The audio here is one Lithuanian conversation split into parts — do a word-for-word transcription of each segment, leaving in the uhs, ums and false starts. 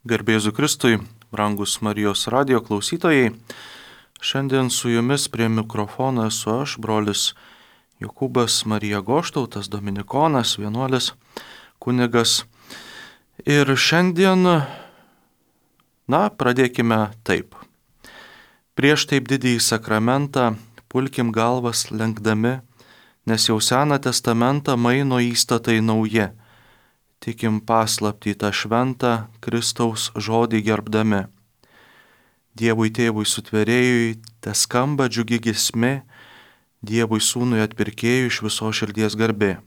Garbėzu Kristui, brangus Marijos radijo klausytojai, šiandien su jumis prie mikrofono esu aš, brolis Jokūbas Marija Goštautas, dominikonas, vienuolis, kunigas. Ir šiandien, na, pradėkime taip. Prieš taip didįjį sakramentą pulkim galvas lenkdami, nes jau Seną testamentą maino įstatai nauji. Tikim paslaptį tą šventą Kristaus žodį gerbdami. Dievui tėvui sutvėrėjui te skamba džiugi giesmė, Dievui sūnui atpirkėjui iš viso širdies garbė.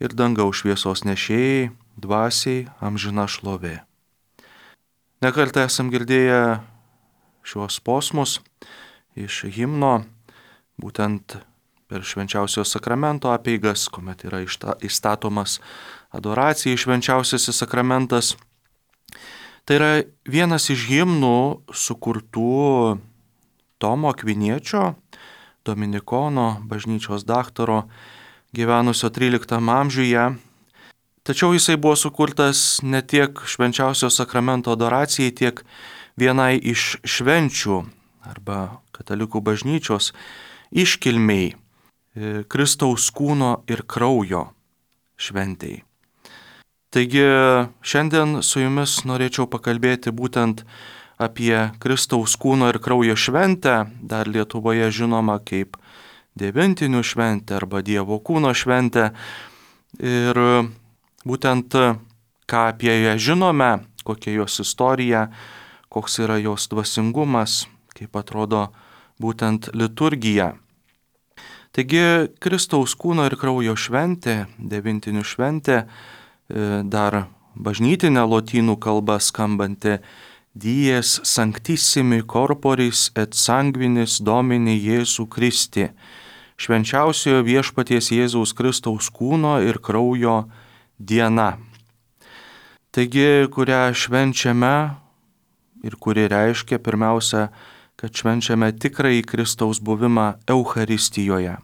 Ir dangaus šviesos nešėjai, dvasiai amžina šlovė. Nekartą esam girdėję šiuos posmus iš himno, būtent per švenčiausio sakramento apeigas, kuomet yra įstatomas adoracija į švenčiausiasis sakramentas. Tai yra vienas iš himnų sukurtų Tomo Akviniečio, dominikono, bažnyčios daktaro, gyvenusio tryliktame amžiuje. Tačiau jisai buvo sukurtas ne tiek švenčiausio sakramento adoracijai, tiek vienai iš švenčių arba katalikų bažnyčios iškilmiai, Kristaus kūno ir kraujo šventei. Taigi šiandien su jumis norėčiau pakalbėti būtent apie Kristaus kūno ir kraujo šventę, dar Lietuvoje žinoma kaip devintinių šventė arba Dievo kūno šventė. Ir būtent ką apie ją žinome, kokia jos istorija, koks yra jos dvasingumas, kaip atrodo būtent liturgija. Taigi Kristaus kūno ir kraujo šventė, devintinių šventė, dar bažnytinė lotynų kalba skambanti Dies sanctissimi corporis et sanguinis Domini Jėzų Kristi, švenčiausiojo viešpaties Jėzaus Kristaus kūno ir kraujo diena. Taigi, kurią švenčiame ir kuri reiškia pirmiausia, kad švenčiame tikrąjį Kristaus buvimą Eucharistijoje.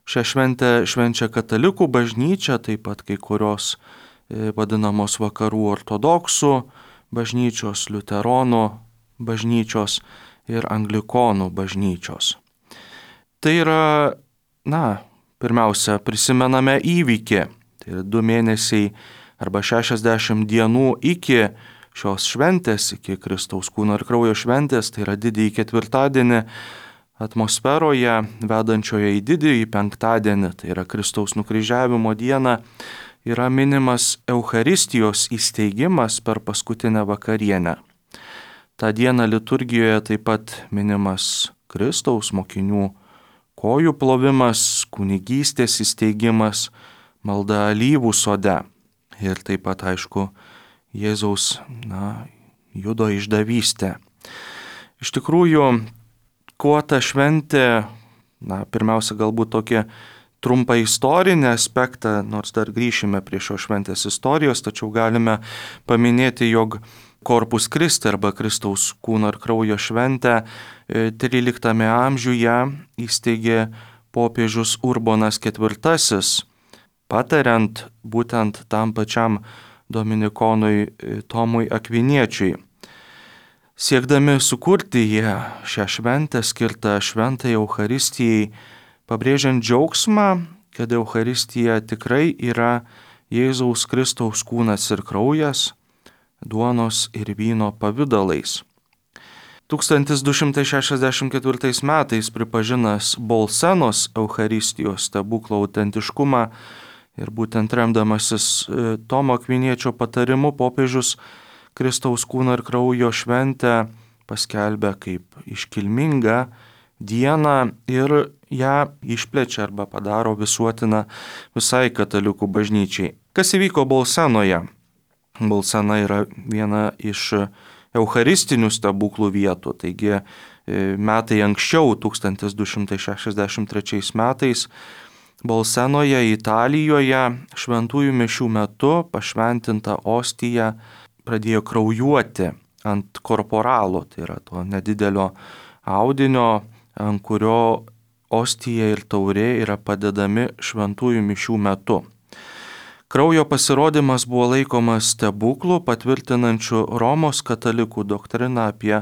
Šią šventę švenčia katalikų bažnyčia, taip pat kai kurios vadinamos vakarų ortodoksų bažnyčios, liuteronų bažnyčios ir anglikonų bažnyčios. Tai yra, na, pirmiausia, prisimename įvykį, tai yra du mėnesiai arba šešiasdešimt dienų iki šios šventės, iki Kristaus kūno ir kraujo šventės, tai yra didįjį ketvirtadienį atmosferoje, vedančioje į didįjį penktadienį, tai yra Kristaus nukryžiavimo dieną, yra minimas Eucharistijos įsteigimas per paskutinę vakarienę. Ta diena liturgijoje taip pat minimas Kristaus mokinių kojų plovimas, kunigystės įsteigimas, malda alyvų sode ir taip pat, aišku, Jėzaus, na, judo išdavystė. Iš tikrųjų, kuo ta šventė, na, pirmiausia, galbūt tokia trumpą istorinį aspektą, nors dar grįšime prie šios šventės istorijos, tačiau galime paminėti, jog Corpus Christi arba Kristaus kūno ir kraujo šventę tryliktame amžiuje įsteigė popiežius Urbonas ketvirtasis, patariant būtent tam pačiam dominikonui Tomui Akviniečiui. Siekdami sukurti jie šią šventę skirtą šventai Eucharistijai, pabrėžiant džiaugsmą, kad Eucharistija tikrai yra Jėzaus Kristaus kūnas ir kraujas, duonos ir vyno pavidalais. tūkstantis du šimtai šešiasdešimt ketvirtais metais pripažinęs Bolsenos Eucharistijos stebuklo autentiškumą ir būtent remdamasis Tomo Akviniečio patarimu, popiežius Kristaus kūno ir kraujo šventę paskelbė kaip iškilmingą dieną ir ją išplečia arba padaro visuotiną visai katalikų bažnyčiai. Kas įvyko Bolsenoje? Bolsena yra viena iš eucharistinių stebuklų vietų, taigi metai anksčiau, tūkstantis du šimtai šešiasdešimt trečiais metais, Bolsenoje, Italijoje, šventųjų mišių metu pašventinta ostija pradėjo kraujuoti ant korporalo, tai yra to nedidelio audinio, ant kurio ostija ir taurė yra padedami šventųjų mišių metu. Kraujo pasirodymas buvo laikomas stebuklu, patvirtinančiu Romos katalikų doktriną apie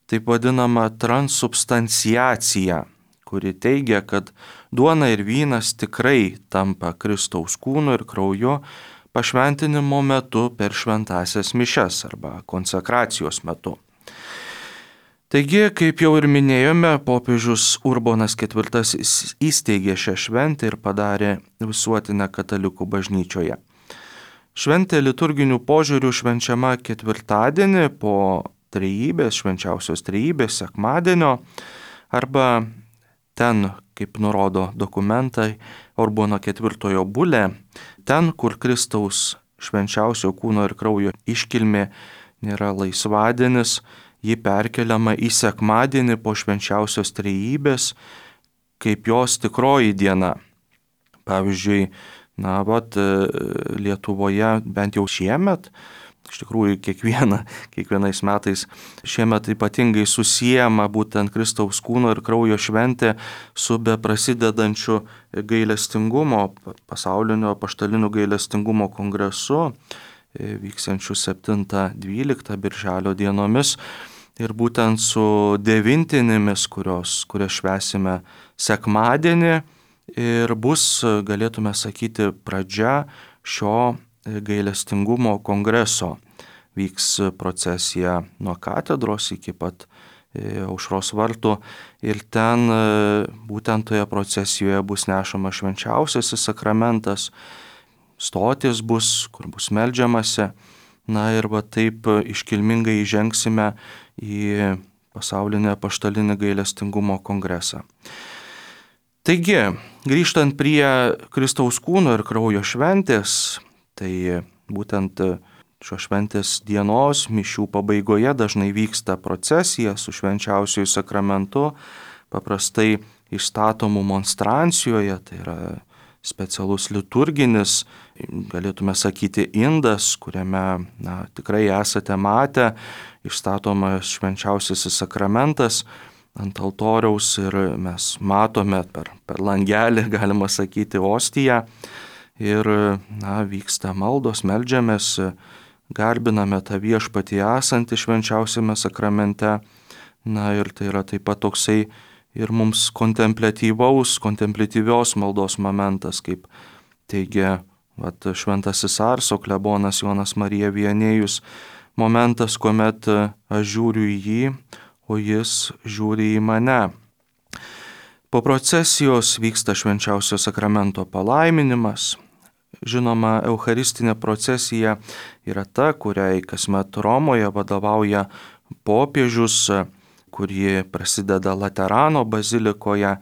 taip vadinamą transubstanciaciją, kuri teigia, kad duona ir vynas tikrai tampa Kristaus kūnu ir krauju pašventinimo metu per šventąsias mišias arba konsekracijos metu. Taigi, kaip jau ir minėjome, popiežius Urbonas ketvirtasis įsteigė šią šventę ir padarė visuotinę katalikų bažnyčioje. Šventė liturginių požiūrių švenčiama ketvirtadienį po trejybės, švenčiausios trejybės sekmadienio arba ten, kaip nurodo dokumentai, Urbono ketvirtojo bulė, ten, kur Kristaus švenčiausio kūno ir kraujo iškilmė nėra laisvadienis, ji perkeliama į sekmadienį po švenčiausios trejybės kaip jos tikroji diena. Pavyzdžiui, na, vat, Lietuvoje bent jau šiemet, iš tikrųjų kiekviena, kiekvienais metais šiemet ypatingai susijama būtent Kristaus kūno ir kraujo šventė su beprasidedančiu gailestingumo, pasaulinio apaštalinių gailestingumo kongresu, vyksiančių septintą dvyliktą birželio dienomis ir būtent su devintinėmis, kurios, kurias švęsime sekmadienį ir bus, galėtume sakyti, pradžia šio gailestingumo kongreso. Vyks procesija nuo katedros iki pat Aušros vartų ir ten būtent toje procesijoje bus nešama švenčiausiasis sakramentas, stotis bus, kur bus meldžiamasi, na ir va taip iškilmingai įžengsime į pasaulinį apaštalinį gailestingumo kongresą. Taigi, grįžtant prie Kristaus kūno ir kraujo šventės, tai būtent šios šventės dienos mišių pabaigoje dažnai vyksta procesija su švenčiausiuoju sakramentu, paprastai išstatomų monstrancijoje, tai yra specialus liturginis, galėtume sakyti, indas, kuriame na, tikrai esate matę, išstatomas švenčiausiasis sakramentas ant altoriaus ir mes matome per, per langelį, galima sakyti, ostiją ir na, vyksta maldos, meldžiamės, garbiname tą viešpatį esantį švenčiausiame sakramente. Na ir tai yra taip pat toksai ir mums kontempliatyvaus, kontempliatyvios maldos momentas, kaip teigia vat, šventasis Arso klebonas Jonas Marija Viannėjus, momentas, kuomet aš žiūriu į jį, o jis žiūri į mane. Po procesijos vyksta švenčiausio sakramento palaiminimas. Žinoma, eucharistinė procesija yra ta, kuriai kasmet Romoje vadovauja popiežius, kurie prasideda Laterano bazilikoje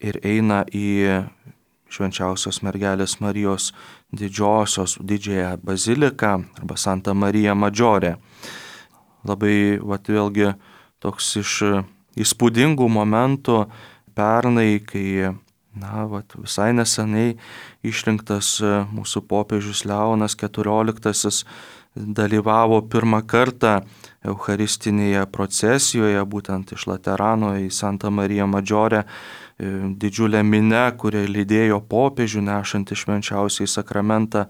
ir eina į švenčiausios mergelės Marijos didžiosios, didžiąją baziliką arba Santa Marija Maggiore. Labai, vat, vėlgi, toks iš įspūdingų momentų pernai, kai, na, vat, visai nesenai išrinktas mūsų popiežius Leonas keturioliktasis dalyvavo pirmą kartą eucharistinėje procesijoje, būtent iš Laterano į Santa Marija Maggiore, didžiulė minia, kuria lydėjo popiežių nešantį švenčiausiąjį sakramentą,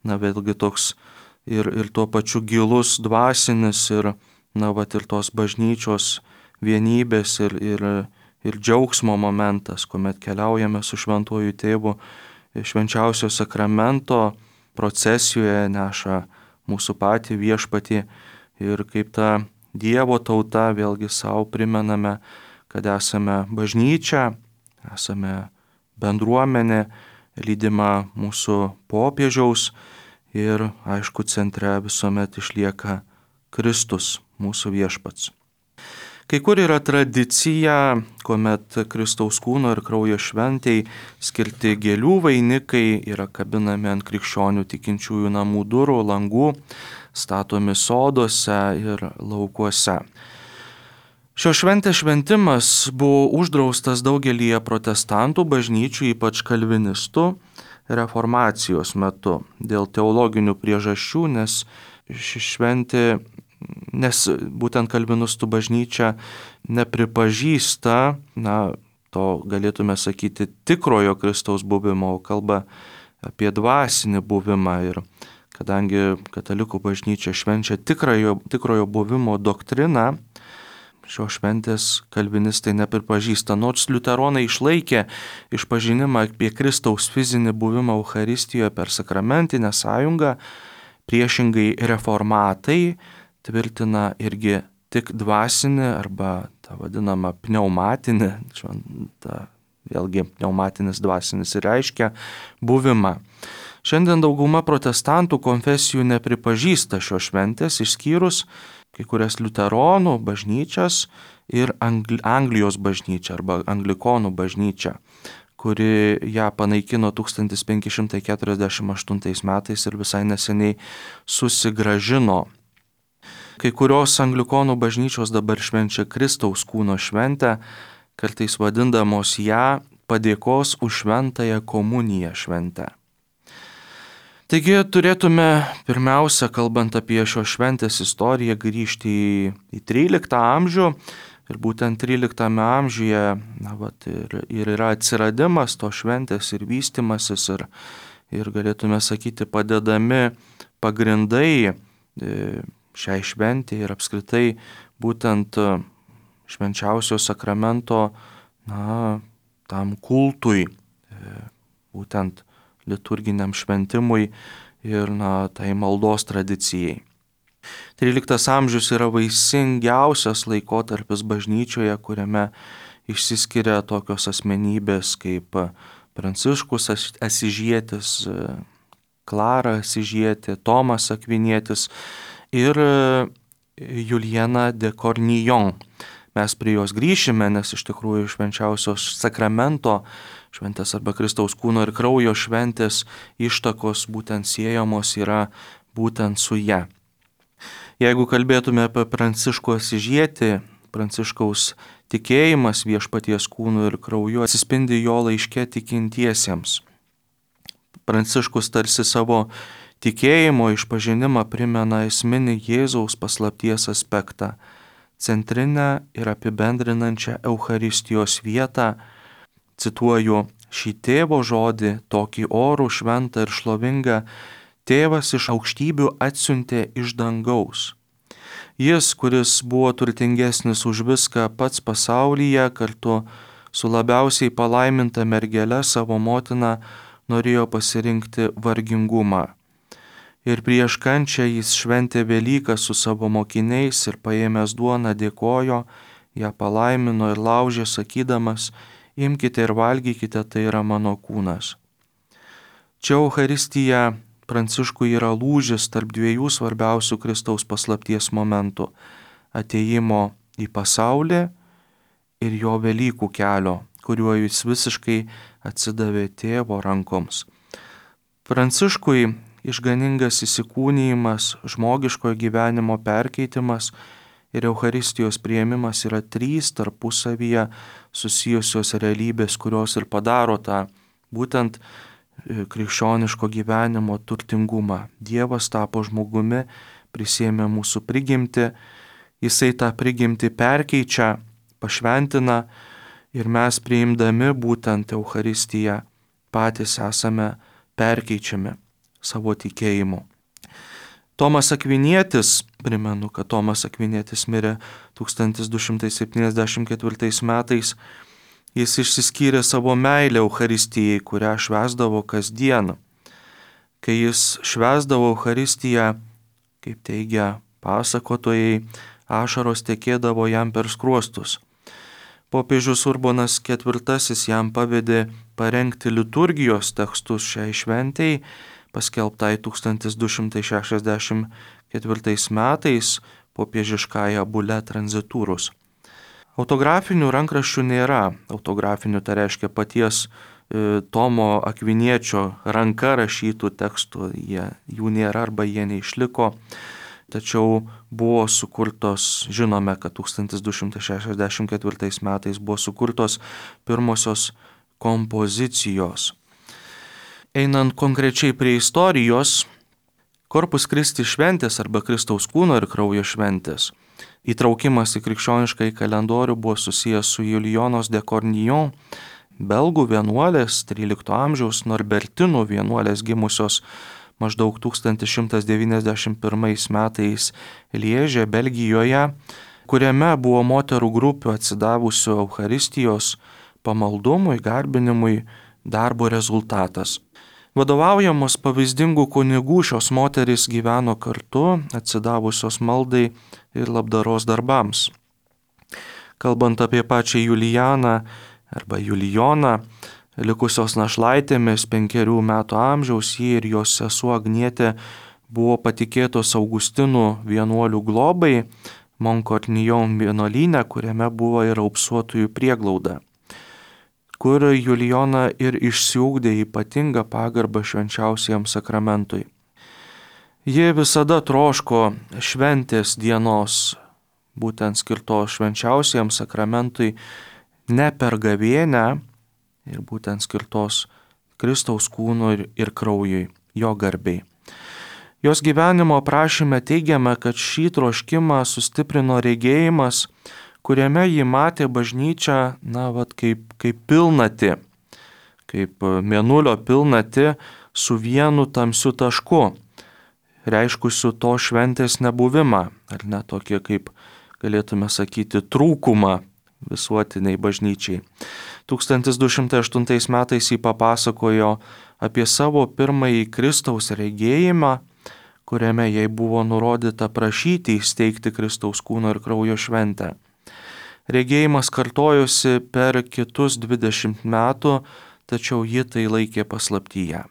na vėlgi toks ir, ir tuo pačiu gilus dvasinis ir, na vat, ir tos bažnyčios vienybės ir, ir, ir džiaugsmo momentas, kuomet keliaujame su šventuoju tėvu švenčiausio sakramento procesijoje, neša mūsų patį viešpatį ir kaip ta Dievo tauta vėlgi savo primename, kad esame bažnyčia, esame bendruomenė, lydima mūsų popiežiaus ir, aišku, centre visuomet išlieka Kristus, mūsų viešpats. Kai kur yra tradicija, kuomet Kristaus kūno ir kraujo šventei skirti gėlių vainikai yra kabinami ant krikščionių tikinčiųjų namų durų, langų, statomi soduose ir laukuose. Šios šventės šventimas buvo uždraustas daugelyje protestantų bažnyčių, ypač kalvinistų, reformacijos metu dėl teologinių priežasčių, nes ši šventė, nes būtent kalvinistų bažnyčia nepripažįsta, na, to galėtume sakyti tikrojo Kristaus buvimo, kalba apie dvasinį buvimą. Ir kadangi katalikų bažnyčia švenčia tikrojo, tikrojo buvimo doktriną, šios šventės kalvinistai nepripažįsta. Nors liuteronai išlaikė išpažinimą apie Kristaus fizinį buvimą Eucharistijoje per sakramentinę sąjungą, priešingai reformatai tvirtina irgi tik dvasinį arba tą vadinamą pneumatinį, šventą, vėlgi pneumatinis dvasinis ir reiškia buvimą. Šiandien dauguma protestantų konfesijų nepripažįsta šios šventės, išskyrus kai kurias liuteronų bažnyčias ir Angli- Anglijos bažnyčią arba anglikonų bažnyčią, kuri ją panaikino tūkstantis penki šimtai keturiasdešimt aštuntais metais ir visai neseniai susigrąžino. Kai kurios anglikonų bažnyčios dabar švenčia Kristaus kūno šventę, kartais vadindamos ją padėkos už šventąją komuniją šventę. Taigi turėtume pirmiausia, kalbant apie šios šventės istoriją, grįžti į, į tryliktą amžių ir būtent tryliktame amžiuje na, vat, ir, ir yra atsiradimas to šventės ir vystimasis ir, ir galėtume sakyti padedami pagrindai šiai šventė ir apskritai būtent švenčiausio sakramento na, tam kultui, būtent liturginiam šventimui ir na, tai maldos tradicijai. tryliktas amžius yra vaisingiausias laikotarpis bažnyčioje, kuriame išsiskiria tokios asmenybės kaip Pranciškus Asyžietis, Klara Asyžietė, Tomas Akvinietis ir Juliana de Cornillon. Mes prie jos grįšime, nes iš tikrųjų švenčiausios sakramento šventės arba Kristaus kūno ir kraujo šventės ištakos būtent siejamos yra būtent su ja. Jeigu kalbėtume apie Pranciškų Asyžietį, Pranciškaus tikėjimas viešpaties kūnu ir krauju atsispindi jo laiške tikintiesiems. Pranciškus tarsi savo tikėjimo išpažinimą primena esminį Jėzaus paslapties aspektą, centrinę ir apibendrinančią Eucharistijos vietą. Cituoju, šį tėvo žodį, tokį orų, šventą ir šlovingą, tėvas iš aukštybių atsiuntė iš dangaus. Jis, kuris buvo turtingesnis už viską pats pasaulyje, kartu su labiausiai palaiminta mergele savo motina, norėjo pasirinkti vargingumą. Ir prieš kančią jis šventė Velyką su savo mokiniais ir paėmęs duoną dėkojo, ją palaimino ir laužė, sakydamas, imkite ir valgykite, tai yra mano kūnas. Čia Eucharistija Pranciškui yra lūžis tarp dviejų svarbiausių Kristaus paslapties momentų - atėjimo į pasaulį ir jo Velykų kelio, kuriuo jis visiškai atsidavė tėvo rankoms. Pranciškui išganingas įsikūnijimas, žmogiškojo gyvenimo perkeitimas ir Eucharistijos priėmimas yra trys tarpusavyje susijusios realybės, kurios ir padaro tą būtent krikščioniško gyvenimo turtingumą. Dievas tapo žmogumi, prisėmė mūsų prigimtį, jisai tą prigimtį perkeičia, pašventina ir mes priimdami būtent Eucharistiją patys esame perkeičiami savo tikėjimu. Tomas Akvinietis, primenu, kad Tomas Akvinietis mirė tūkstantis du šimtai septyniasdešimt ketvirtais metais, jis išsiskyrė savo meilę Eucharistijai, kurią švęsdavo kasdien. Kai jis švęsdavo Eucharistiją, kaip teigia pasakotojai, ašaros tekėdavo jam per skruostus. Popiežius Urbonas ketvirtasis jam pavedė parengti liturgijos tekstus šiai šventei, paskelbtai tūkstantis du šimtai šešiasdešimt ketvirtais metais popiežiškąja bule Transiturus. Autografinių rankraščių nėra. Autografinių tai reiškia paties e, Tomo Akviniečio ranka rašytų tekstų. Jie, jų nėra arba jie neišliko. Tačiau buvo sukurtos, žinome, kad tūkstantis du šimtai šešiasdešimt ketvirtais metais buvo sukurtos pirmosios kompozicijos. Einant konkrečiai prie istorijos, Corpus Christi šventės arba Kristaus kūno ir kraujo šventės įtraukimas į krikščionišką kalendorių buvo susijęs su Julijonos de Cornillon belgų vienuolės, trylikto amžiaus norbertinų vienuolės gimusios maždaug tūkstantis šimtas devyniasdešimt pirmais metais Lieže, Belgijoje, kuriame buvo moterų grupių atsidavusių Eucharistijos pamaldumui, garbinimui darbo rezultatas. Vadovaujamos pavyzdingų kunigų šios moterys gyveno kartu, atsidavusios maldai ir labdaros darbams. Kalbant apie pačią Julijaną arba Julijoną, likusios našlaitėmis penkerių metų amžiaus, ji ir jos sesuo Agnietė buvo patikėtos Augustinų vienuolių globai Monkornijon vienuolyne, kuriame buvo ir raupsuotųjų prieglauda, kur Julijona ir išsiugdė ypatingą pagarbą švenčiausiam sakramentui. Ji visada troško šventės dienos, būtent skirtos švenčiausiam sakramentui, ne per gavėnią, ir būtent skirtos Kristaus kūnui ir, ir kraujui, jo garbei. Jos gyvenimo aprašyme teigiama, kad šį troškimą sustiprino regėjimas, kuriame ji matė bažnyčią, na, vat, kaip, kaip pilnatį, kaip mėnulio pilnatį su vienu tamsiu tašku, reiškusiu to šventės nebuvimą, ar ne tokį, kaip galėtume sakyti, trūkumą visuotiniai bažnyčiai. tūkstantis du šimtai aštuntais metais jį papasakojo apie savo pirmąjį Kristaus regėjimą, kuriame jai buvo nurodyta prašyti įsteigti Kristaus kūno ir kraujo šventę. Regėjimas kartojosi per kitus dvidešimt metų, tačiau ji tai laikė paslaptyje.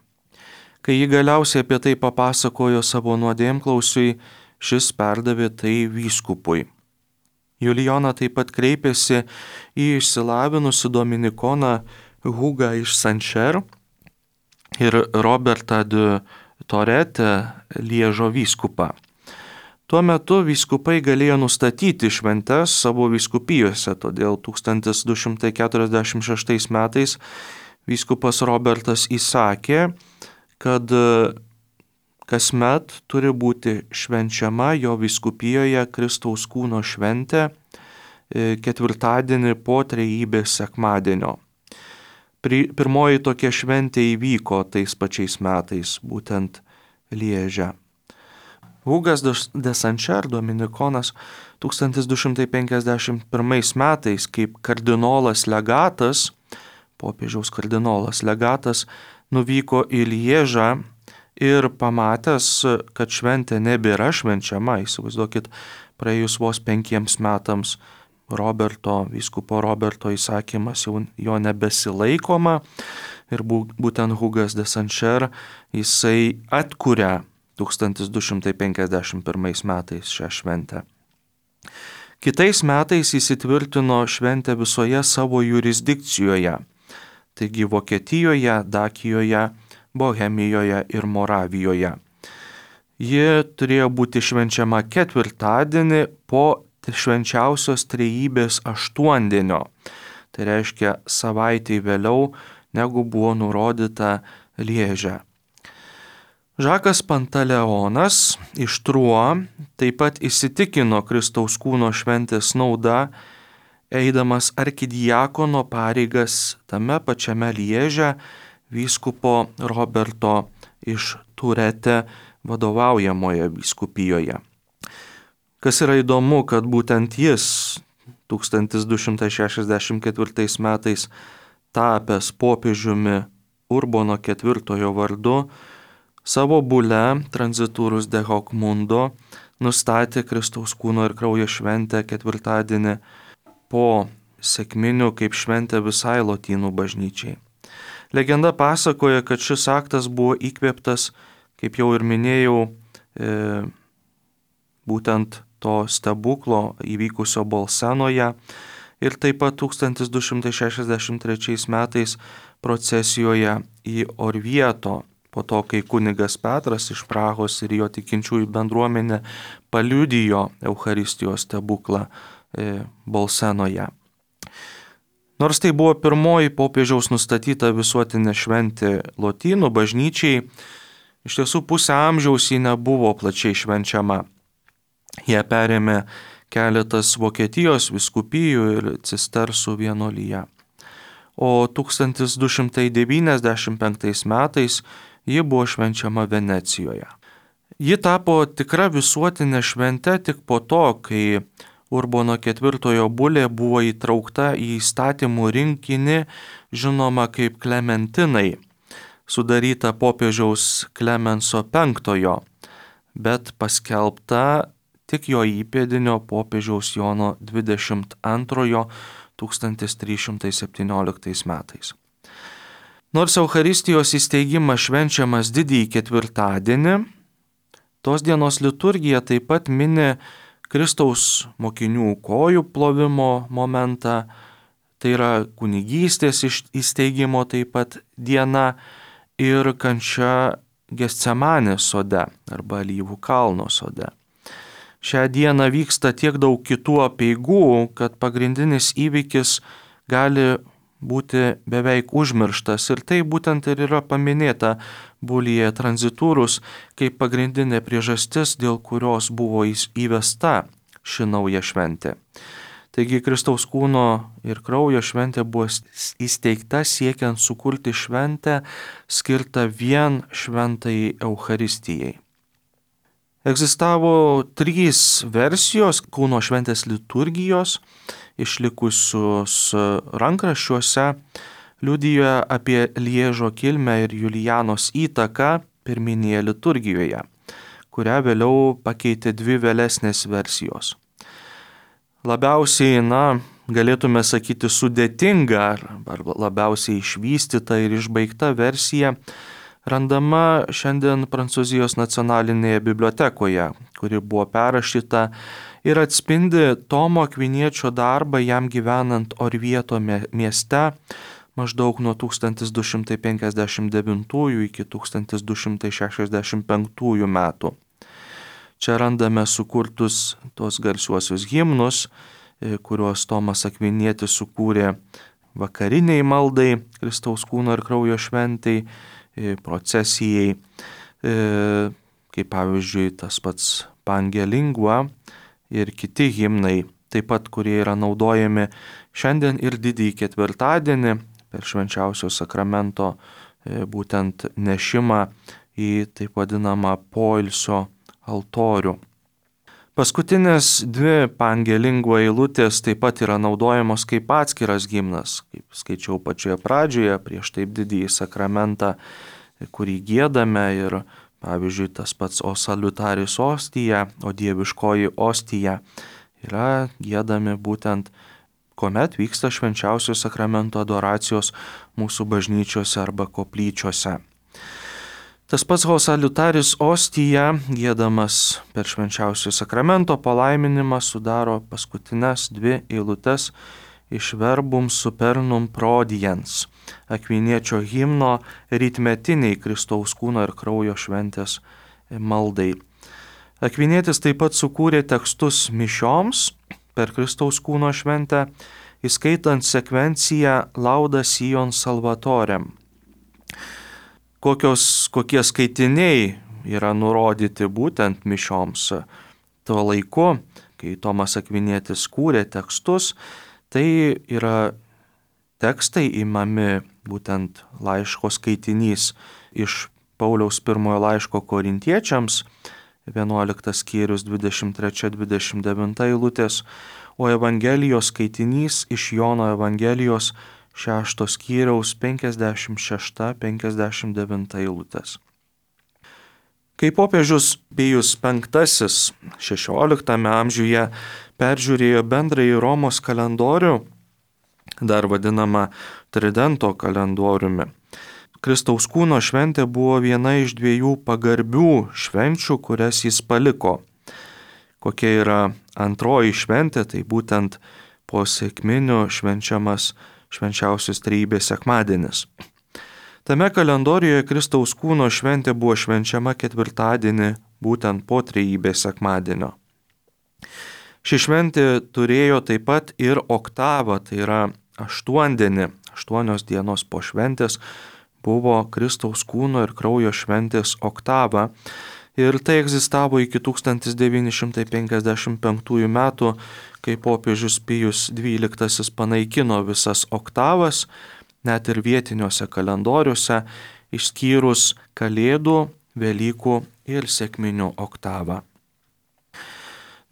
Kai ji galiausiai apie tai papasakojo savo nuodėmklausiui, šis perdavė tai vyskupui. Julijona taip pat kreipėsi į išsilavinusi dominikoną Hugą iš Sančer ir Robertą de Torete, Liežo vyskupą. Tuo metu vyskupai galėjo nustatyti šventes savo vyskupijose, todėl tūkstantis du šimtai keturiasdešimt šeštais metais vyskupas Robertas įsakė, kad kasmet turi būti švenčiama jo vyskupijoje Kristaus kūno šventė ketvirtadienį po trejybės sekmadienio. Pirmoji tokia šventė įvyko tais pačiais metais, būtent Lieže. Hugas de Sančer, dominikonas, tūkstantis du šimtai penkiasdešimt pirmais metais kaip kardinolas legatas, popiežiaus kardinolas legatas, nuvyko į Liežą ir pamatęs, kad šventė nebėra švenčiama, įsivaizduokit, praėjus vos penkiems metams Roberto, vyskupo Roberto įsakymas jau jo nebesilaikoma ir būtent Hugas de Sančer jisai atkuria tūkstantis du šimtai penkiasdešimt pirmais metais šią šventę. Kitais metais įsitvirtino šventę visoje savo jurisdikcijoje, taigi Vokietijoje, Dakijoje, Bohemijoje ir Moravijoje. Ji turėjo būti švenčiama ketvirtadienį po švenčiausios trejybės aštuondienio. Tai reiškia savaitę vėliau, negu buvo nurodyta Lieže. Žakas Pantaleonas iš Truo taip pat įsitikino Kristaus kūno šventės nauda, eidamas arkidiakono pareigas tame pačiame Lieže, vyskupo Roberto iš Turete vadovaujamoje vyskupijoje. Kas yra įdomu, kad būtent jis tūkstantis du šimtai šešiasdešimt ketvirtais metais tapęs popiežiumi Urbono ketvirtojo vardu, savo bule Transiturus de hoc mundo nustatė Kristaus kūno ir kraujo šventę ketvirtadienį po sekminių kaip šventę visai lotynų bažnyčiai. Legenda pasakoja, kad šis aktas buvo įkvėptas, kaip jau ir minėjau, e, būtent to stebuklo įvykusio Bolsenoje ir taip pat tūkstantis du šimtai šešiasdešimt trečiais metais procesijoje į Orvieto, po to, kai kunigas Petras iš Prahos ir jo tikinčiųjų bendruomenė paliudijo Eucharistijos stebuklą e, Bolsenoje. Nors tai buvo pirmoji popiežiaus nustatyta visuotinė šventė lotynų bažnyčiai, iš tiesų pusę amžiaus ji nebuvo plačiai švenčiama. Ją perėmė keletas Vokietijos vyskupijų ir cistersų vienuolyje. o tūkstantis du šimtai devyniasdešimt penktais metais ji buvo švenčiama Venecijoje. Ji tapo tikra visuotinė švente tik po to, kai Urbono ketvirtojo bulė buvo įtraukta į įstatymų rinkinį, žinoma kaip Klementinai, sudaryta popiežiaus Klemenso penktojo, bet paskelbta tik jo įpėdinio popiežiaus Jono dvidešimt antrojo tūkstantis trys šimtai septynioliktais metais. Nors Eucharistijos įsteigimas švenčiamas didįjį ketvirtadienį, tos dienos liturgija taip pat mini Kristaus mokinių kojų plovimo momentą, tai yra kunigystės įsteigimo taip pat diena ir kančia Getsemanės sode arba Alyvų kalno sode. Šią dieną vyksta tiek daug kitų apeigų, kad pagrindinis įvykis gali būti beveik užmirštas ir tai būtent ir yra paminėta Bulyje Transiturus kaip pagrindinė priežastis, dėl kurios buvo įvesta ši nauja šventė. Taigi Kristaus kūno ir kraujo šventė buvo įsteigta siekiant sukurti šventę skirtą vien šventai Eucharistijai. Egzistavo trys versijos kūno šventės liturgijos, išlikusius rankraščiuose, liudijoje apie Liežo kilmę ir Julijanos įtaką pirminėje liturgijoje, kurią vėliau pakeitė dvi vėlesnės versijos. Labiausiai, na, galėtume sakyti, sudėtinga ar labiausiai išvystyta ir išbaigta versija randama šiandien Prancūzijos nacionalinėje bibliotekoje, kuri buvo perrašyta ir atspindi Tomo Akviniečio darbą jam gyvenant Orvieto mieste maždaug nuo tūkstantis du šimtai penkiasdešimt devintųjų iki tūkstantis du šimtai šešiasdešimt penktųjų metų. Čia randame sukurtus tos garsiuosius himnus, kuriuos Tomas Akvinietis sukūrė vakariniai maldai, Kristaus kūno ir kraujo šventai, procesijai, kaip pavyzdžiui tas pats Pange Lingua ir kiti himnai, taip pat kurie yra naudojami šiandien ir didįjį ketvirtadienį per švenčiausio sakramento būtent nešimą į taip vadinamą poilsio altorių. Paskutinės dvi Pange Lingua eilutės taip pat yra naudojamos kaip atskiras himnas, kaip skaičiau pačioje pradžioje, prieš taip didįjį sakramentą, kurį giedame ir, pavyzdžiui, tas pats O salutaris ostija, o dieviškoji ostija yra giedami būtent, kuomet vyksta švenčiausio sakramento adoracijos mūsų bažnyčiose arba koplyčiose. Tas pats O salutaris ostija, giedamas per švenčiausio sakramento palaiminimą, sudaro paskutinės dvi eilutes iš Verbum supernum prodiens, Akviniečio himno rytmetiniai Kristaus kūno ir kraujo šventės maldai. Akvinietis taip pat sukūrė tekstus mišioms per Kristaus kūno šventę, įskaitant sekvenciją Lauda Sion Salvatorem. Kokios, kokie skaitiniai yra nurodyti būtent mišioms tuo laiku, kai Tomas Akvinietis kūrė tekstus, tai yra tekstai imami būtent laiško skaitinys iš Pauliaus pirmojo laiško korintiečiams, vienuoliktas skyrius dvidešimt trečia dvidešimt devinta eilutės, o Evangelijos skaitinys iš Jono Evangelijos šešto skyriaus penkiasdešimt šešta penkiasdešimt devinta eilutės. Kai popiežius Pijus penktasis šešioliktame amžiuje peržiūrėjo bendrąjį Romos kalendorių, dar vadinamą Tridento kalendoriumi, Kristaus kūno šventė buvo viena iš dviejų pagarbių švenčių, kurias jis paliko. Kokia yra antroji šventė, tai būtent po sekminių švenčiamas švenčiausios trejybės sekmadienis. Tame kalendorijoje Kristaus kūno šventė buvo švenčiama ketvirtadienį būtent po trejybės sekmadienio. Ši šventė turėjo taip pat ir oktavą, tai yra aštuondienį, aštuonios dienos po šventės buvo Kristaus kūno ir kraujo šventės oktava ir tai egzistavo iki tūkstantis devyni šimtai penkiasdešimt penktųjų metų, kai popiežius Pijus dvyliktasis panaikino visas oktavas net ir vietiniuose kalendoriuose, išskyrus Kalėdų, Velykų ir Sekminių oktavą.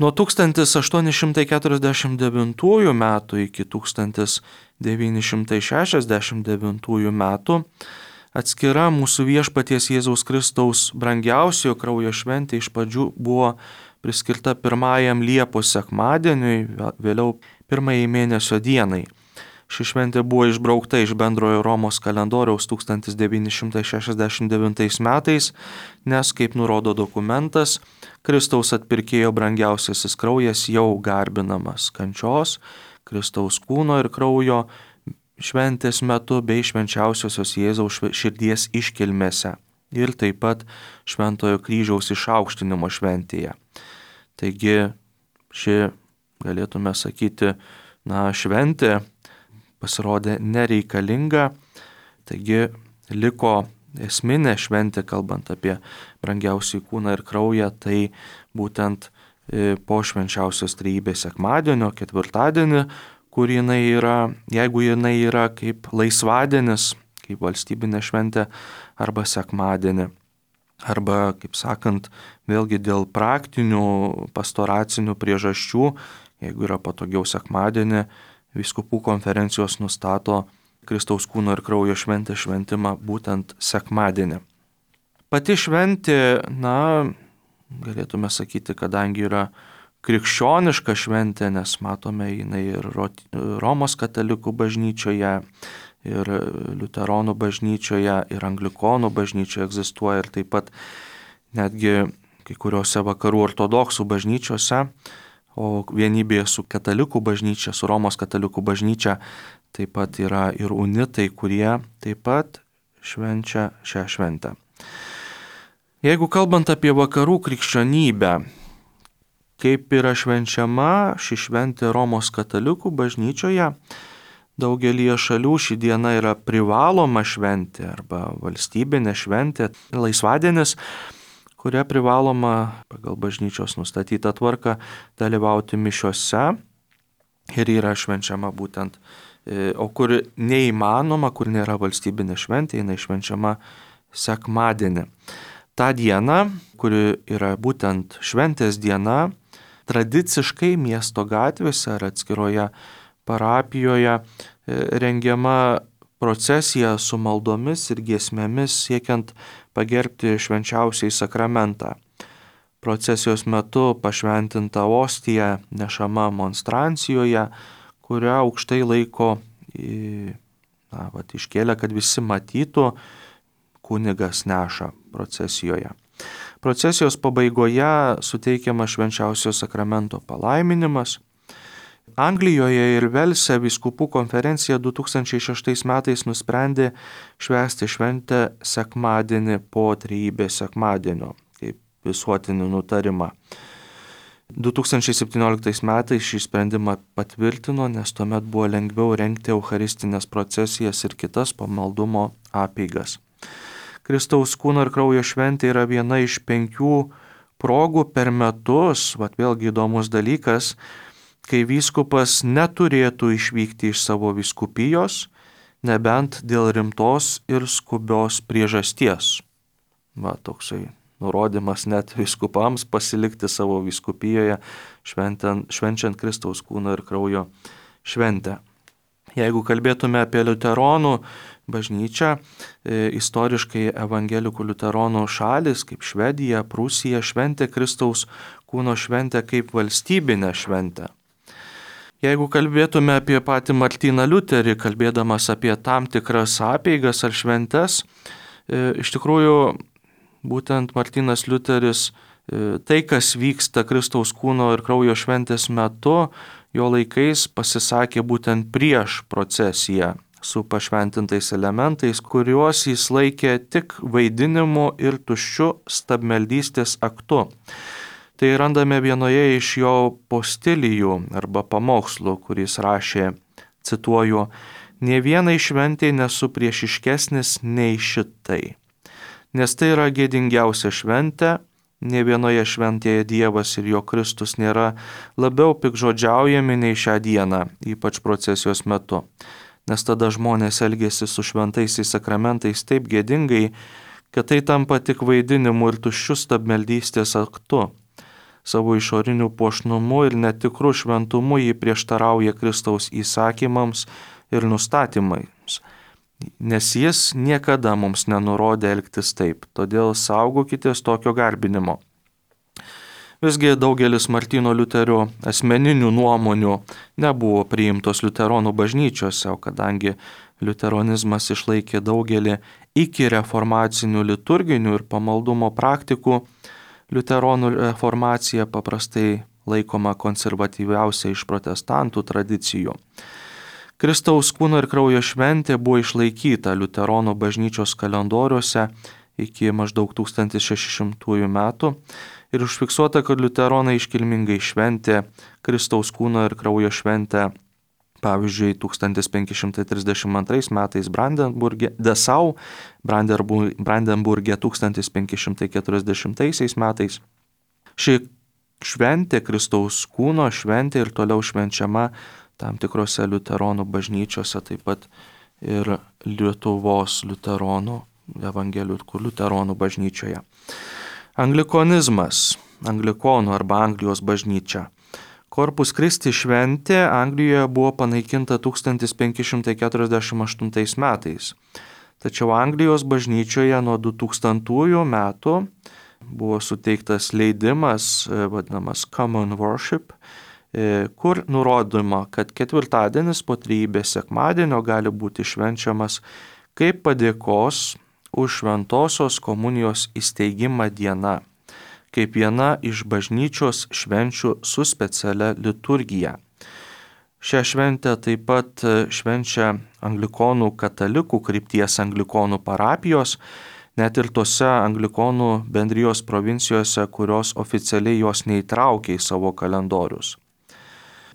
Nuo tūkstantis aštuoni šimtai keturiasdešimt devintųjų metų iki tūkstantis devyni šimtai šešiasdešimt devintųjų metų atskira mūsų Viešpaties Jėzaus Kristaus brangiausiojo kraujo šventė iš pradžių buvo priskirta pirmajam Liepos sekmadieniui, vėliau pirmajai mėnesio dienai. Ši šventė buvo išbraukta iš bendrojo Romos kalendoriaus tūkstantis devyni šimtai šešiasdešimt devintais metais, nes, kaip nurodo dokumentas, Kristaus atpirkėjo brangiausiasis kraujas jau garbinamas kančios, Kristaus kūno ir kraujo šventės metu bei švenčiausiosios Jėzaus širdies iškilmėse ir taip pat Šventojo kryžiaus išaukštinimo šventėje. Taigi ši, galėtume sakyti, na, šventė pasirodė nereikalinga, taigi liko esminė šventė, kalbant apie brangiausią kūną ir kraują, tai būtent po švenčiausios trejybės sekmadienio, ketvirtadienį, kur jinai yra, jeigu jinai yra kaip laisvadienis, kaip valstybinė šventė, arba sekmadienį. Arba, kaip sakant, vėlgi dėl praktinių pastoracinių priežasčių, jeigu yra patogiau sekmadienį, vyskupų konferencijos nustato Kristaus kūno ir kraujo šventės šventimą būtent sekmadienį. Pati šventė, na, galėtume sakyti, kadangi yra krikščioniška šventė, nes matome jinai ir Romos katalikų bažnyčioje, ir liuteronų bažnyčioje, ir anglikonų bažnyčioje egzistuoja, ir taip pat netgi kai kuriuose vakarų ortodoksų bažnyčiose, o vienybėje su katalikų bažnyčia, su Romos katalikų bažnyčia, taip pat yra ir unitai, kurie taip pat švenčia šią šventę. Jeigu kalbant apie vakarų krikščionybę, kaip yra švenčiama ši šventė Romos katalikų bažnyčioje, daugelį šalių ši diena yra privaloma šventė arba valstybinė šventė, laisvadienis, kuria privaloma pagal bažnyčios nustatytą tvarką dalyvauti mišiose ir yra švenčiama būtent, o kur neįmanoma, kur nėra valstybinė šventė, jinai švenčiama sekmadienį. Ta diena, kuri yra būtent šventės diena, tradiciškai miesto gatvėse ar atskiroje parapijoje rengiama procesija su maldomis ir giesmėmis siekiant pagerbti švenčiausiai sakramentą. Procesijos metu pašventinta ostija nešama monstrancijoje, kurią aukštai laiko, na, vat, iškėlė, kad visi matytų, kunigas neša procesijoje. Procesijos pabaigoje suteikiama švenčiausio sakramento palaiminimas. Anglijoje ir Velse vyskupų konferencija du tūkstančiai šeštais metais nusprendė švęsti šventę sekmadienį po trejybės sekmadienio, kaip visuotinį nutarimą. du tūkstančiai septynioliktais metais šį sprendimą patvirtino, nes tuomet buvo lengviau rengti eucharistinės procesijas ir kitas pamaldumo apeigas. Kristaus kūno ir kraujo šventė yra viena iš penkių progų per metus, vat vėlgi įdomus dalykas, kai vyskupas neturėtų išvykti iš savo vyskupijos, nebent dėl rimtos ir skubios priežasties. Va, toksai nurodymas net vyskupams pasilikti savo vyskupijoje, švenčiant, švenčiant Kristaus kūno ir kraujo šventę. Jeigu kalbėtume apie liuteronų bažnyčią, e, istoriškai evangelikų liuteronų šalis, kaip Švedija, Prūsija, šventė Kristaus kūno šventę kaip valstybinę šventę. Jeigu kalbėtume apie patį Martyną Liuterį, kalbėdamas apie tam tikras apeigas ar šventes, e, iš tikrųjų būtent Martynas Liuteris, e, tai kas vyksta Kristaus kūno ir kraujo šventės metu, jo laikais pasisakė būtent prieš procesiją su pašventintais elementais, kuriuos jis laikė tik vaidinimu ir tuščiu stabmeldystės aktu. Tai randame vienoje iš jo postilijų arba pamokslų, kuris rašė, cituoju, "Nė vienai šventei nesu priešiškesnis nei šitai, nes tai yra gėdingiausia šventė, nė vienoje šventėje Dievas ir jo Kristus nėra labiau pikžodžiaujami nei šią dieną, ypač procesijos metu. nes tada žmonės elgėsi su šventaisiais sakramentais taip gėdingai, kad tai tampa tik vaidinimu ir tuščiu stabmeldystės aktu. Savo išoriniu puošnumu ir netikru šventumu jį prieštarauja Kristaus įsakymams ir nustatymams, nes jis niekada mums nenurodė elgtis taip, todėl saugokitės tokio garbinimo. Visgi daugelis Martyno Liuterio asmeninių nuomonių nebuvo priimtos liuteronų bažnyčiose, o kadangi liuteronizmas išlaikė daugelį iki reformacinių liturginių ir pamaldumo praktikų, liuteronų reformacija paprastai laikoma konservatyviausia iš protestantų tradicijų. Kristaus kūno ir kraujo šventė buvo išlaikyta liuteronų bažnyčios kalendoriuose iki maždaug tūkstantis šeši šimtųjų metų ir užfiksuota, kad liuteronai iškilmingai šventė Kristaus kūno ir kraujo šventę, pavyzdžiui, tūkstantis penki šimtai trisdešimt antrais metais Brandenburge, Dessau, Brandenburge tūkstantis penki šimtai keturiasdešimtaisiais metais. Ši šventė, Kristaus kūno šventė ir toliau švenčiama tam tikrose liuteronų bažnyčiose, taip pat ir Lietuvos liuteronų, evangelikų liuteronų bažnyčioje. Anglikonizmas, anglikonų arba Anglijos bažnyčia. Corpus Christi šventė Anglijoje buvo panaikinta tūkstantis penki šimtai keturiasdešimt aštuntais metais. Tačiau Anglijos bažnyčioje nuo du tūkstantųjų metų buvo suteiktas leidimas, vadinamas Common Worship, kur nurodoma, kad ketvirtadienis po trejybės sekmadienio gali būti švenčiamas kaip padėkos už šventosios komunijos įsteigimą diena, kaip viena iš bažnyčios švenčių su specialia liturgija. Šią šventę taip pat švenčia anglikonų katalikų krypties anglikonų parapijos, net ir tose anglikonų bendrijos provincijose, kurios oficialiai jos neįtraukia į savo kalendorius.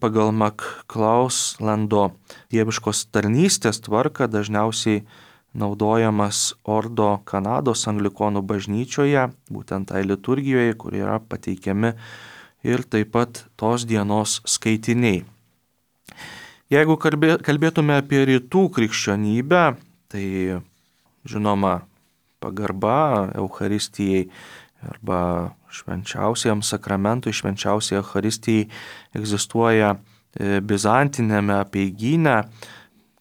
Pagal McClauslando dieviškos tarnystės tvarką dažniausiai naudojamas ordo Kanados anglikonų bažnyčioje, būtent tai liturgijoje, kur yra pateikiami ir taip pat tos dienos skaitiniai. Jeigu kalbėtume apie rytų krikščionybę, tai žinoma pagarba Eucharistijai arba švenčiausiam sakramentui, švenčiausiai Eucharistijai egzistuoja bizantinėme apeigyne,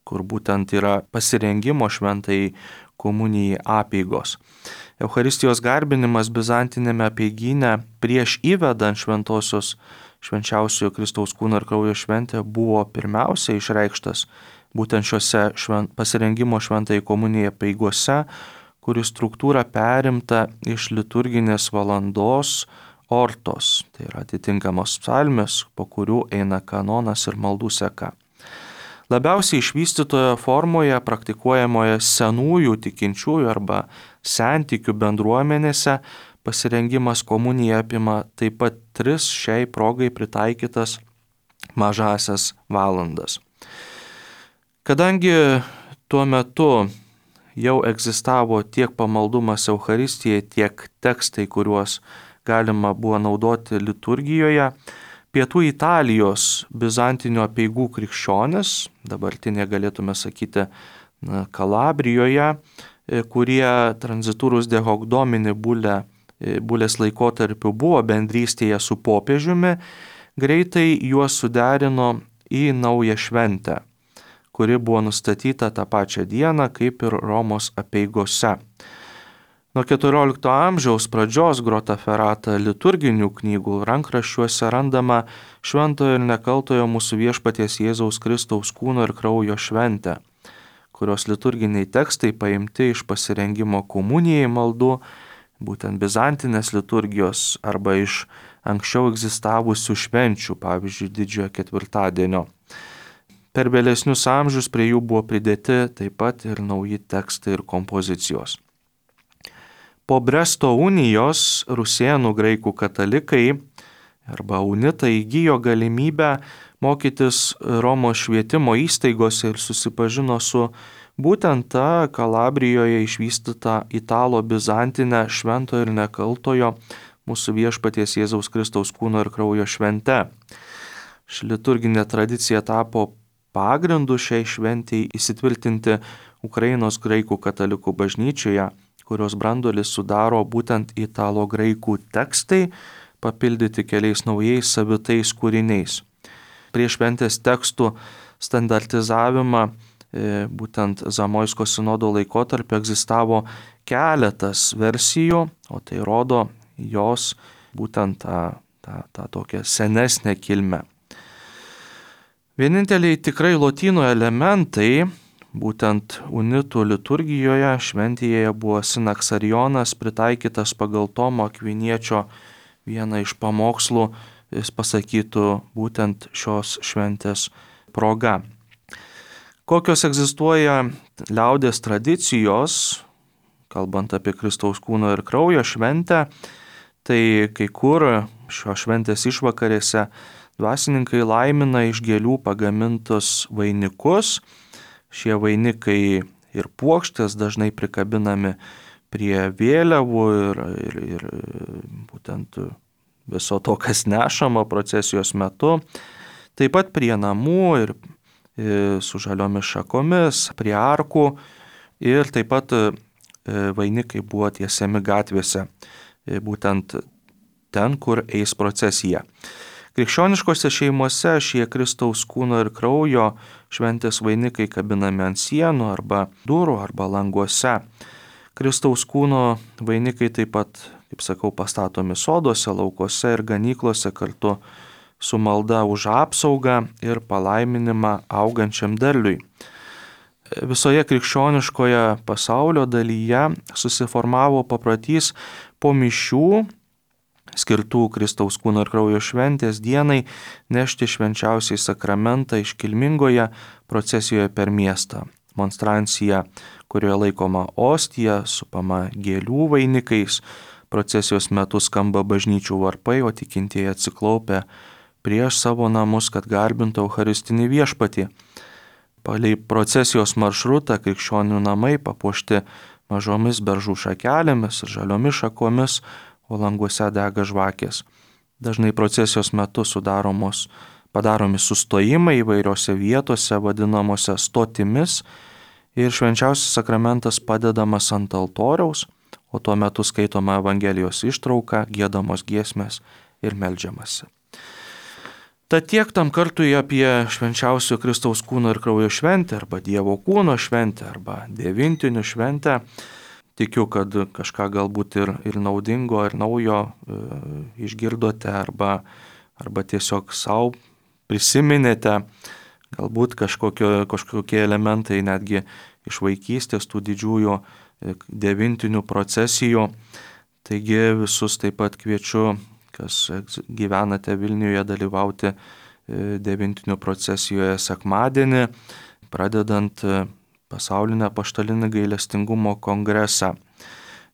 kur būtent yra pasirengimo šventai komunijai apeigos. Eucharistijos garbinimas bizantinėme apeigyne prieš įvedant šventosios švenčiausiojo Kristaus kūno ir kraujo šventę buvo pirmiausia išreikštas būtent šiuose švent, pasirengimo šventai komunijai apeigose, kuri struktūra perimta iš liturginės valandos ortos, tai yra atitinkamos psalmės, po kurių eina kanonas ir maldų seka. Labiausiai išvystytoje formoje praktikuojamoje senųjų tikinčiųjų arba sentikių bendruomenėse pasirengimas komunija apima taip pat tris šiai progai pritaikytas mažasias valandas. Kadangi tuo metu jau egzistavo tiek pamaldumas Eucharistijai, tiek tekstai, kuriuos galima buvo naudoti liturgijoje, pietų Italijos bizantinių apeigų krikščionis, dabartinė galėtume sakyti na, Kalabrijoje, kurie transiturus de hoc domini bulė, bulės laikotarpiu buvo bendrystėje su popiežiumi, greitai juos suderino į naują šventę, kuri buvo nustatyta tą pačią dieną kaip ir Romos apeigose. Nuo keturiolikto amžiaus pradžios Grotaferata liturginių knygų rankraščiuose randama šventojo ir nekaltojo mūsų viešpaties Jėzaus Kristaus kūno ir kraujo šventę, kurios liturginiai tekstai paimti iš pasirengimo komunijai maldų, būtent bizantinės liturgijos arba iš anksčiau egzistavusių švenčių, pavyzdžiui, didžiojo ketvirtadienio. Per vėlesnius amžius prie jų buvo pridėti taip pat ir nauji tekstai ir kompozicijos. Po Bresto unijos rusėnų graikų katalikai arba unitai įgijo galimybę mokytis Romos švietimo įstaigose ir susipažino su būtent ta Kalabrijoje išvystyta italo bizantinė švento ir nekaltojo mūsų viešpaties Jėzaus Kristaus kūno ir kraujo švente. Ši liturginė tradicija tapo pagrindu šiai šventėjai įsitvirtinti Ukrainos graikų katalikų bažnyčioje, kurios branduolį sudaro būtent italo graikų tekstai, papildyti keliais naujais savitais kūriniais. Prieš šventės tekstų standartizavimą būtent Zamoisko sinodo laikotarpiu egzistavo keletas versijų, o tai rodo jos būtent tą, tą, tą tokią senesnę kilmę. Vieninteliai tikrai lotynų elementai, būtent unitų liturgijoje šventėje buvo sinaksarionas pritaikytas pagal Tomo Akviniečio vieną iš pamokslų, jis pasakytų būtent šios šventės proga. Kokios egzistuoja liaudės tradicijos, kalbant apie Kristaus kūno ir kraujo šventę, tai kai kur šios šventės išvakarėse dvasininkai laimina iš gėlių pagamintus vainikus. Šie vainikai ir puokštės dažnai prikabinami prie vėliavų ir, ir, ir būtent viso to, kas nešama procesijos metu. Taip pat prie namų ir su žaliomis šakomis, prie arkų ir taip pat vainikai buvo tiesiami gatvėse, būtent ten, kur eis procesija. Krikščioniškose šeimose šie Kristaus kūno ir kraujo šventės vainikai kabinami ant sienų arba durų arba languose. Kristaus kūno vainikai taip pat, kaip sakau, pastatomi soduose, laukuose ir ganyklose kartu su malda už apsaugą ir palaiminimą augančiam derliui. Visoje krikščioniškoje pasaulio dalyje susiformavo paprotys po mišių, skirtų Kristaus kūno ir kraujo šventės dienai, nešti švenčiausiai sakramentą iškilmingoje procesijoje per miestą. Monstrancija, kurioje laikoma ostija, supama gėlių vainikais, procesijos metu skamba bažnyčių varpai, o tikintieji atsiklaupę prieš savo namus, kad garbintų Eucharistinį viešpatį. Palei procesijos maršrutą krikščionių namai papuošti mažomis beržų šakelėmis ir žaliomis šakomis, o languose dega žvakės. Dažnai procesijos metu sudaromos, padaromi sustojimai įvairiose vietose, vadinamose stotimis, ir švenčiausias sakramentas padedamas ant altoriaus, o tuo metu skaitoma Evangelijos ištrauka, giedamos giesmės ir meldžiamasi. Tad tiek tam kartui apie švenčiausio Kristaus kūno ir kraujo šventę, arba Dievo kūno šventę, arba devintinių šventę. Tikiu, kad kažką galbūt ir, ir naudingo, ir naujo e, išgirdote, arba, arba tiesiog savo prisiminėte, galbūt kažkokio, kažkokie elementai netgi iš vaikystės tų didžiųjų devintinių procesijų. Taigi visus taip pat kviečiu, kas gyvenate Vilniuje, dalyvauti devintinių procesijoje sekmadienį, pradedant pasaulinę apaštalinį gailestingumo kongresą.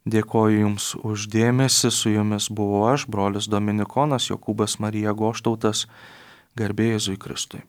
Dėkoju Jums už dėmesį, su Jumis buvau aš, brolis Dominikonas Jokūbas Marija Goštautas, garbė Jėzui Kristui.